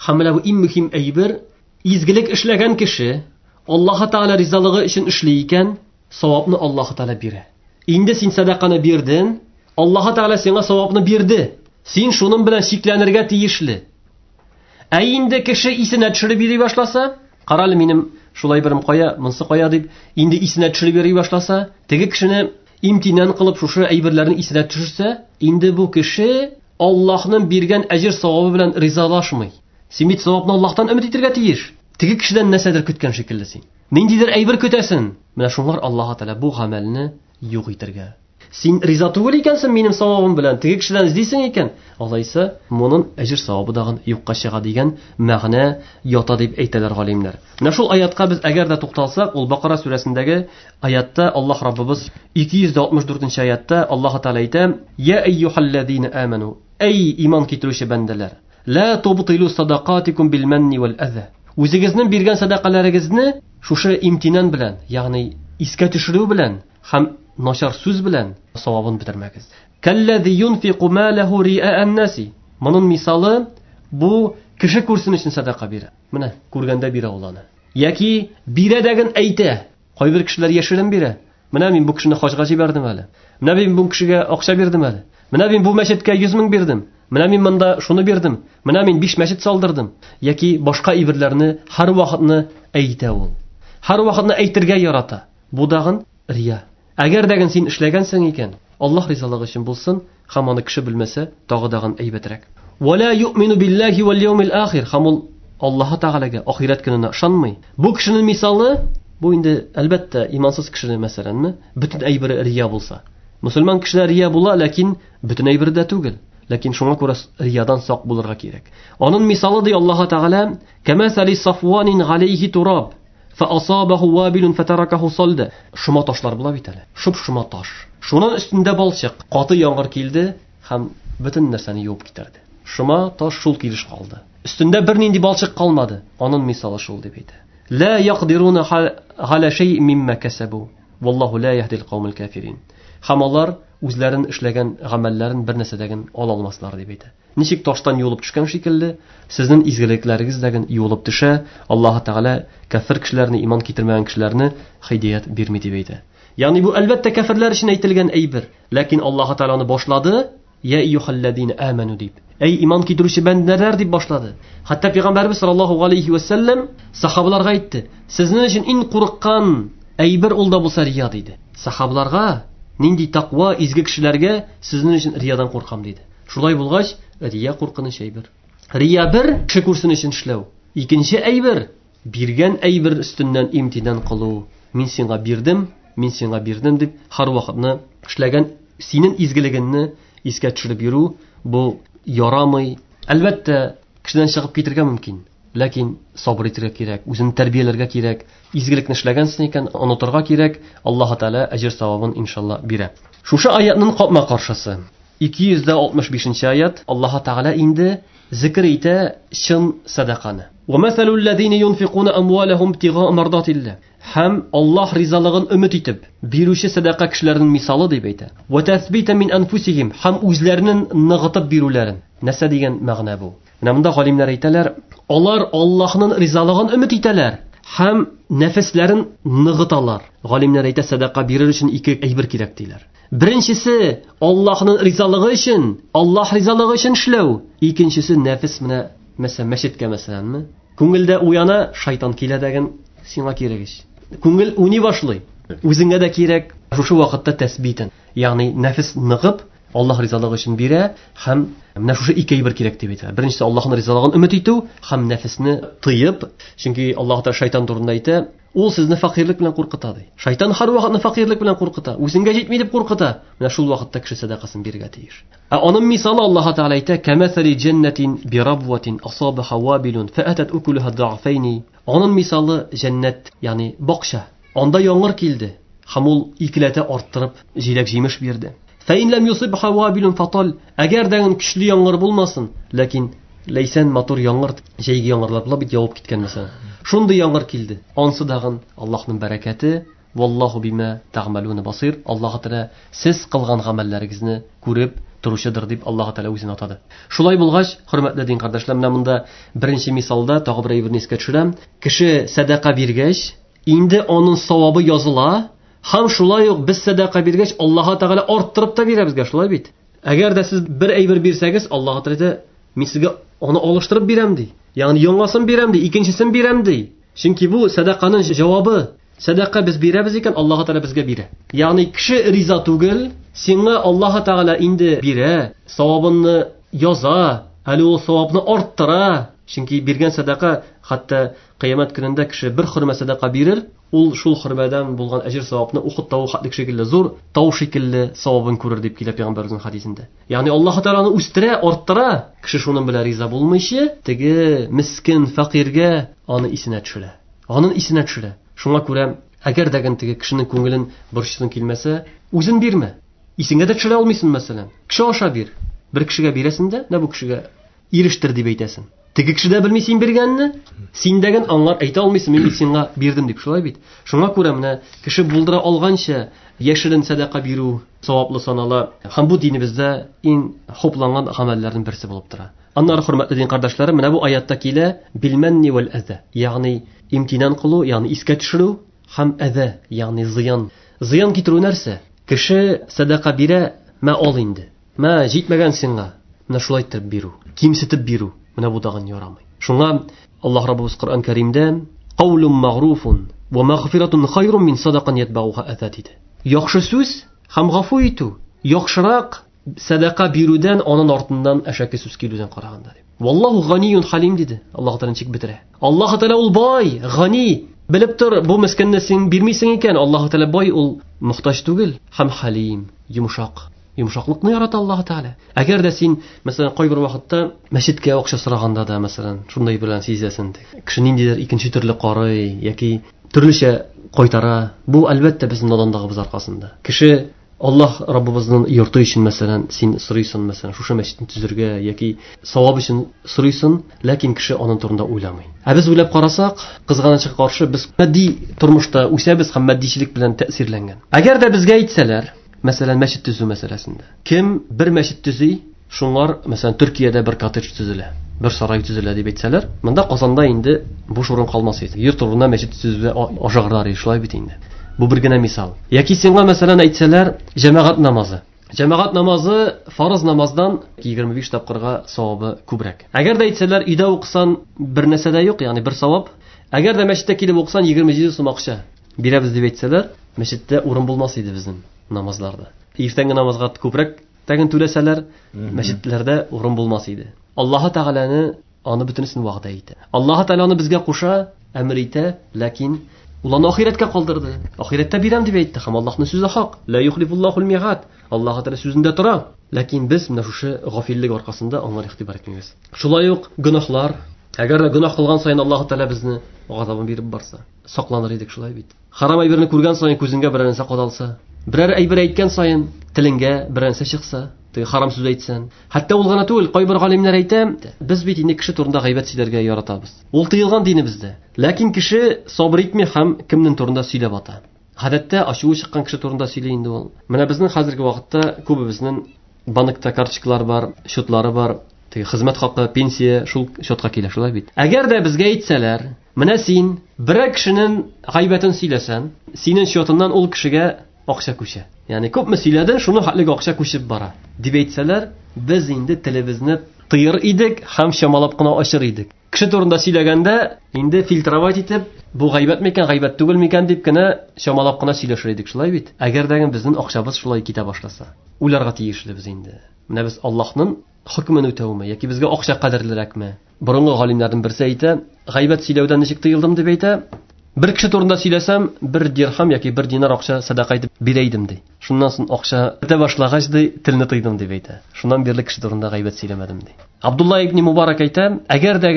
S1: һәм менә бу иң мөһим әйбер, изгелек эшләгән кеше Аллаһ Тәгалә ризалыгы өчен эшли икән, савапны Аллаһ Тәгалә бирә. Инде син сәдаканы бирдең, Аллаһ Тәгалә сиңа савапны бирде. Син шуның белән чикләнергә тиешле. Ә инде кеше исенә төшереп йөри башласа, карале минем шулай берем кая, монсы кая дип, инде исенә төшереп йөри башласа, теге кешене имтинан кылып шушы әйберләрне исенә төшерсә, инде бу кеше Аллаһның биргән әҗер савабы белән ризалашмый. Син бит савапны Аллаһтан өмет итәргә тиеш. Теге кешедән нәрсәдер көткән шикелле син. Ниндидер әйбер көтәсең. Менә шулар Аллаһ Тәгалә бу гамәлне юк итәргә. Син риза түгел икәнсең минем савабым белән, теге кешедән эзлисең икән, алайса моның әҗер савабы дагын юкка чыга дигән мәгънә ята дип әйтәләр галимнәр. Менә шул аятка без әгәр дә тукталсак, ул Бакара сүрәсендәге аятта Аллаһ Раббыбыз ике йөз алтмыш дүртенче аятта Аллаһ Тәгалә әйтә: "Я әйюһаллазина аману", эй иман китерүче бәндәләр, ла тубтилу садакатикум бил манни вал аза. Үзегезнең биргән садакаларыгызны шушы имтинан белән, ягъни искә төшерү белән һәм начар сүз белән савабын бетермәгез. Каллази юнфику малаху риаан наси. Моның мисалы бу кеше күрсен өчен садака бирә. Менә күргәндә бирә ул аны. Яки бирә дәген әйтә. Кайбер кешеләр яшерен бирә. Менә мин бу кешене хаҗга җибәрдем әле. Менә мин бу кешегә акча бирдем әле. Менә мин бу мәчеткә йөз мең бирдем. Менә мин монда шуны бирдем. Менә мин биш мәчет салдырдым. Яки башка әйберләрне һәр вакытны әйтә ул. Һәр вакытны әйтергә ярата. Бу дагын рия. Әгәр дәген син эшләгәнсең икән, Аллаһ ризалыгы өчен булсын, һәм аны кеше белмәсә, тагы дагын әйбәтрәк. Ва ла юъмину биллаһи вал яумил ахир. Һәм ул Аллаһ Тәгаләгә ахирәт көненә ышанмый. Бу кешенең мисалы, бу инде әлбәттә имансыз кешенең мәсәләнме, бөтен әйбере рия булса. Мөселман кешеләр рия була, ләкин бөтен әйбере дә түгел. Ләкин шуңа күрә риядан сак булырга кирәк. Аның мисалы ди Аллаһ Тәгалә: "Кәмәсәли сафванин галәйһи тураб, фәасабаху вабилун фәтаракаху салда." Шома ташлар була бит әле. Шоп-шома таш. Шуның өстендә балчык. Каты яңгыр килде һәм бөтен нәрсәне юып китерде. Шома таш шул килеш калды. Өстендә бернинди балчык калмады. Аның мисалы шул дип әйтә. Ла яқдируна галя шәйъ мимма касабу. Валлаху ла яһдил каумал кафирин. Һәм алар үзләрен эшләгән гамәлләрен бер нәрсәдәген ала алмаслар дип әйтә. Ничек таштан юылып төшкән шикелле, сезнең изгелекләрегез дәген юылып төшә. Аллаһ Тәгалә кафир кешеләрне, иман китермәгән кешеләрне һидәят бирми дип әйтә. Ягъни бу әлбәттә кафирләр өчен әйтелгән әйбер, ләкин Аллаһ Тәгалә аны башлады, я әйюһаллазина аману дип. Эй иман китерүче бәндәләр дип башлады. Хәтта пәйгамбәрбез саллаллаһу алейхи ва саллям сахабаларга әйтте: "Сезнең өчен иң курыккан әйбер ул да булса рия" диде. Сахабаларга, нинди тақва изге кешеләргә, сезнең өчен риядан куркам диде. Шулай булгач, рия куркыныч әйбер. Рия бер кеше күрсен өчен эшләү. Икенче әйбер биргән әйбер өстеннән имтинан кылу. Мин сиңа бирдем, мин сиңа бирдем дип һәр вакытны эшләгән синең изгелегеңне искә төшереп йөрү бу ярамый. Әлбәттә, кешедән чыгып китергә мөмкин. Ләкин сабыр итәргә кирәк, үзен тәрбияләргә кирәк. Изгелекне эшләгәнсең икән, онытырга кирәк. Аллаһ Тәгалә әҗер савабын иншалла бирә. Шушы аятның капма-каршысы. ике йөз алтмыш бишенче аят. Аллаһ Тәгалә инде зикр итә чын садаканы. Ва масалул ладина юнфикуна амвалахум ибтигаа мардатилла. Һәм Аллаһ ризалыгын өмет итеп бирүче садака кешеләрнең мисалы дип әйтә. Ва тасбита мин анфусихим, һәм үзләренең ныгытып бирүләрен. Нәрсә дигән мәгънә бу? Менә монда галимнәр әйтәләр, алар Аллаһның ризалыгын өмет итәләр һәм нәфесләрен ныгыталар. Галимнәр әйтә, садака бирер өчен ике әйбер кирәк диләр. Беренчесе Аллаһның ризалыгы өчен, Аллаһ ризалыгы өчен эшләү. Икенчесе нәфес, менә мәсәлән мәчеткә мәсәләнме? Күңелдә уяна, шайтан килә дәген, сиңа кирәк ич. Күңел уйный башлый. Үзеңә дә кирәк. Шушы вакытта тәсбитен, ягъни нәфес ныгып Аллаһ ризалыгы өчен бирә һәм менә шушы ике әйбер кирәк дип әйтә. Беренчесе Аллаһның ризалыгын өмет итү һәм нәфесне тыеп, чөнки Аллаһ Тәгалә шайтан турында әйтә, ул сезне фәкыйрьлек белән куркыта ди. Шайтан һәр вакытны фәкыйрьлек белән куркыта, үзеңгә җитми дип куркыта. Менә шул вакытта кеше сәдакасын бирергә тиеш. Ә аның мисалы Аллаһ Тәгалә әйтә, кәмәсәли җәннәтин бирабватин асабаха вабилун фаатат укулуха да'файни. Аның мисалы җәннәт, ягъни бакча. Анда яңгыр килде һәм ул икеләтә арттырып җиләк-җимеш бирде. Фәин ләм юсибха вабилун фатал. Әгәр дә көчле яңгыр булмасын, ләкин ләйсән матур яңгыр, җәйге яңгырлар була бит, явып киткән мәсәлән. Шундый яңгыр килде. Ансы дагын Аллаһның бәрәкәте. Валлаһу бима тәгъмәлүна басир. Аллаһ Тәгалә сез кылган гамәлләрегезне күреп торучыдыр дип Аллаһ Тәгалә үзен атады. Шулай булгач, хөрмәтле дин кардәшләр, менә монда беренче мисалда тагы бер әйберне искә төшерәм. Кеше сәдака биргәч, инде аның савабы языла. Һәм шулай ук без сәдака биргәч, Аллаһ Тәгалә арттырып та бирә безгә, шулай бит. Әгәр дә сез бер әйбер бирсәгез, Аллаһ Тәгалә мин сезгә аны алыштырып бирәм ди. Ягъни яңасын бирәм ди, икенчесен бирәм ди. Чөнки бу сәдаканың җавабы. Сәдака без бирәбез икән, Аллаһ Тәгалә безгә бирә. Ягъни кеше риза түгел, сиңа Аллаһ Тәгалә инде бирә, савабыңны яза, әле ул савапны арттыра. Чөнки биргән сәдака, хәтта кыямәт көнендә кеше бер хөрмә сәдака бирер, ул шул хөрмәдән булган әҗер савапны Ухуд тавы хәтлек шикелле зур тау шикелле савабын күрер дип килә пәйгамбәребезнең хәдисендә. Ягъни Аллаһ Тәгаләне үстерә, арттыра. Кеше шуның белән риза булмыйча, теге мискин фәкыйрьгә аны исенә төшерә. Аның исенә төшерә. Шуңа күрә, әгәр дә теге кешенең күңелен борчысын килмәсә, үзен бирмә. Исеңә дә төшерә алмыйсың мәсәлән. Кеше аша бир. Бер кешегә бирәсең дә, менә бу кешегә ирештер дип әйтәсең. Теге кеше дә белми син биргәнне, син дәген аңлар әйтә алмыйсың, мин бит сиңа бирдем дип, шулай бит. Шуңа күрә менә кеше булдыра алганча яшерен сәдака бирү саваплы санала. Һәм бу динебездә иң хупланган гамәлләрнең берсе булып тора. Аннары, хөрмәтле дин кардәшләрем, менә бу аятта килә билмәнни вәл әзә, ягъни имтинан кылу, ягъни искә төшерү һәм әзә, ягъни зыян. Зыян китерү нәрсә? Кеше сәдака бирә, мә ал инде. Мә җитмәгән сиңа. Менә шулай итеп бирү, кимсетеп бирү. Менә бу тагын ярамый. Шуңа Аллаһ Раббыбыз Коръән Кәримдә каулун магруфун ва магфиратун хайрун мин садакан ятбауха аза диде. Яхшы сүз һәм гафу итү яхшырак садака бирүдән, аның артыннан әшәке сүз килүдән караганда дип. Валлаһу ганиюн халим диде. Аллаһ Тәгалә ничек бетерә? Аллаһ Тәгалә ул бай, гани. Белеп тор, бу мискинне син бирмисең икән, Аллаһ Тәгалә бай, ул мохтаҗ түгел һәм халим, йомшак. Йомшаклыкны ярата Аллаһ Тәгалә. Әгәр дә син, мәсәлән, кайбер вакытта мәчеткә акча сораганда да, мәсәлән, шундай белән сизәсең, кеше ниндидер икенче төрле карый яки төрлечә кайтара. Бу әлбәттә безнең наданлыгыбыз аркасында. Кеше Аллаһ Раббыбызның йорты өчен, мәсәлән, син сорыйсың, мәсәлән, шушы мәчетне төзергә яки савап өчен сорыйсың, ләкин кеше аның турында уйламый. Ә без уйлап карасак, кызганычка каршы без матди тормышта үсәбез һәм матдичелек белән тәэсирләнгән. Әгәр дә безгә әйтсәләр, мәсәлән, мәчет төзү мәсьәләсендә, кем бер мәчет төзи, шуңар, мәсәлән, Төркиядә бер коттедж төзелә, бер сарай төзелә дип әйтсәләр, монда Казанда инде буш урын калмас иде. Йорт урынына мәчет төзүгә ашыгырлар иде, шулай бит инде. Бу бер генә мисал. Яки сиңа, мәсәлән, әйтсәләр, җәмәгать намазы. Җәмәгать намазы фарыз намаздан егерме биш тапкырга савабы күбрәк. Әгәр дә әйтсәләр, өйдә укысан бер нәрсә дә юк, ягъни бер савап. Әгәр дә мәчеттә килеп укысан егерме җиде сум акча бирәбез дип әйтсәләр, мәчеттә урын булмас иде безнең намазларда. Иртәнге намазга күбрәк тәген түләсәләр, мәчетләрдә урын булмас иде. Аллаһ Тәгаләне аны бөтенесен вәгъдә итә. Аллаһ Тәгалә аны безгә куша, әмер итә, ләкин ул аны ахирәткә калдырды. Ахирәттә бирәм дип әйтте һәм Аллаһның сүзе хак. Ла юхлифуллахул миғад. Аллаһ Тәгалә сүзендә тора. Ләкин без менә шушы гафиллек аркасында аңа игътибар итмибез. Шулай ук гөнаһлар. Әгәр дә гөнаһ кылган саен Аллаһ Тәгалә безне газабын биреп барса, сакланыр идек шулай бит. Харам әйберне күргән саен күзеңгә берәр нәрсә кадалса, берәр әйбер әйткән саен телеңгә берәр нәрсә чыкса, теге харам сүз әйтсән. Хәтта ул гына түгел, кайбер галимнәр әйтә, без бит инде кеше турында гайбәт сөйләргә яратабыз. Ул тыелган динебездә. Ләкин кеше сабыр итми һәм кемнең турында сөйләп ата. Гадәттә ачуы чыккан кеше турында сөйли инде ул. Менә безнең хәзерге вакытта күбебезнең банкта карточкалар бар, счетлары бар, теге хезмәт хакы, пенсия шул счетка килә, шулай бит. Әгәр дә безгә әйтсәләр, менә син берәр кешенең гайбәтен сөйләсәң, синең счетыннан ул кешегә акча күчә. Ягъни күпме сөйләдең, шуның хәтлеге акча күчеп бара дип әйтсәләр, без инде телебезне тыер идек һәм чамалап кына ачыр идек. Кеше турында сөйләгәндә инде фильтровать итеп, бу гайбәт микән, гайбәт түгел микән дип кенә чамалап кына сөйләшер идек, шулай бит. Әгәр дә безнең акчабыз шулай китә башласа, уйларга тиешле без инде. Менә без Аллаһның хөкемен үтәүме яки безгә акча кадерлерәкме? Борынгы галимнәрнең берсе әйтә, гайбәт сөйләүдән ничек тыелдым дип әйтә. Бер кеше турында сөйләсәм, бер дирхам яки бер динар акча садака итеп бирә идем ди. Шуннан соң акча бетә башлагач ди, телне тыйдым дип әйтә. Шуннан бирле кеше турында гайбәт сөйләмәдем ди. Абдулла ибн Мубарак әйтә, әгәр дә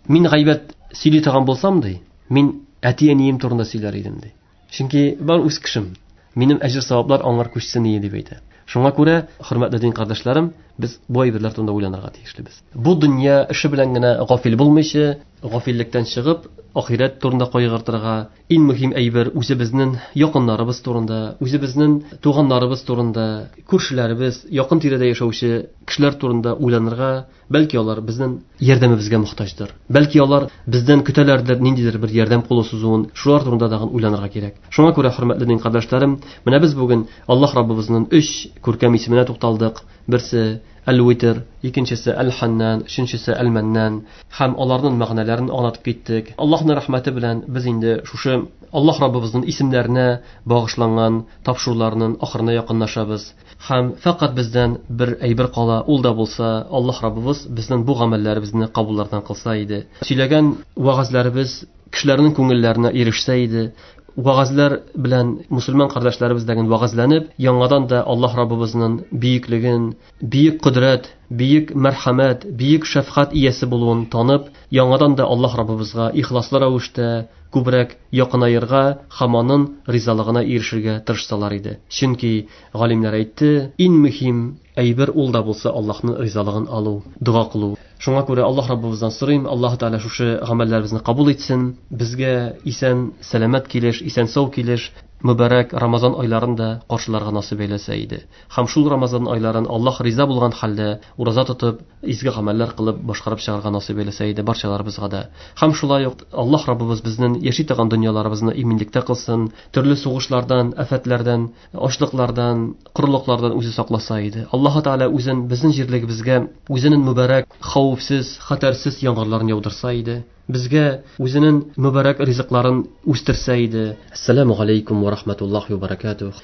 S1: мин гайбәт сөйли торган булсам ди, мин әти-әнием турында сөйләр идем ди. Чөнки бар үз кешем, минем әҗер саваплар аңар күчсен ие дип әйтә. Шуңа күрә, хөрмәтле дин кардәшләрем, без бу әйберләр турында уйланырга тиешлебез. Бу дөнья эше белән генә гафил булмыйча, гафиллектән чыгып, ахирәт турында кайгыртырга, иң мөһим әйбер үзебезнең якыннарыбыз турында, үзебезнең туганнарыбыз турында, күршеләребез, якын тирәдә яшәүче кешеләр турында уйланырга, бәлки алар безнең ярдәмебезгә мохтаҗдыр. Бәлки алар бездән көтәләрдер ниндидер бер ярдәм кулы сузуын, шулар турында тагын уйланырга кирәк. Шуңа күрә, хөрмәтле дин кардәшләрем, менә без бүген Аллаһ Раббыбызның өч күркәм исеменә тукталдык. Берсе Әл-Витр, икенчесе Әл-Ханнан, өченчесе Әл-Маннан һәм аларның мәгънәләрен аңлатып киттек. Аллаһның рәхмәте белән без инде шушы Аллаһ Раббыбызның исемнәренә багышланган тапшыруларның ахырына якынлашабыз. Һәм фәкать бездән бер әйбер кала, ул да булса Аллаһ Раббыбыз безнең бу гамәлләребезне кабуллардан кылса иде. Сөйләгән вәгазьләребез кешеләрнең күңелләренә ирешсә иде. Вәгазьләр белән мусульман кардәшләребез дәген вәгазьләнеп, яңадан да Аллаһ Раббыбызның бөеклеген, бөек кодрәт, бөек мәрхәмәт, бөек шәфкать иясе булуын танып, яңадан да Аллаһ Раббыбызга ихласлы рәвештә күбрәк якынаерга һәм аның ризалыгына ирешергә тырышсалар иде. Чөнки галимнәр әйтте, иң мөһим әйбер ул да булса Аллаһның ризалыгын алу, дога кылу. Шуңа күрә Аллаһ Раббыбыздан сорыйм, Аллаһ Тәгалә шушы гамәлләребезне кабул итсен, безгә исән, сәламәт килеш, исән сау килеш, мөбарәк Рамазан айларын да каршыларга насыйп әйләсә иде. Һәм шул Рамазан айларын Аллаһ риза булган хәлдә ураза тотып, изге гамәлләр кылып башкарып чыгарга насыйп әйләсә иде барчаларыбызга да. Һәм шулай ук Аллаһ Раббыбыз безнең яши торган дөньяларыбызны иминлектә кылсын, төрле сугышлардан, афәтләрдән, ачлыклардан, корылыклардан үзе сакласа иде. Аллаһ Тәгалә үзен безнең җирлегебезгә үзенең мөбарәк, хәвефсез, хәтәрсез яңгырларын яудырса иде. Безгә үзенең мөбарәк ризыкларын үстерсә иде. Ассаламу алейкум ва рахматуллахи ва баракатух.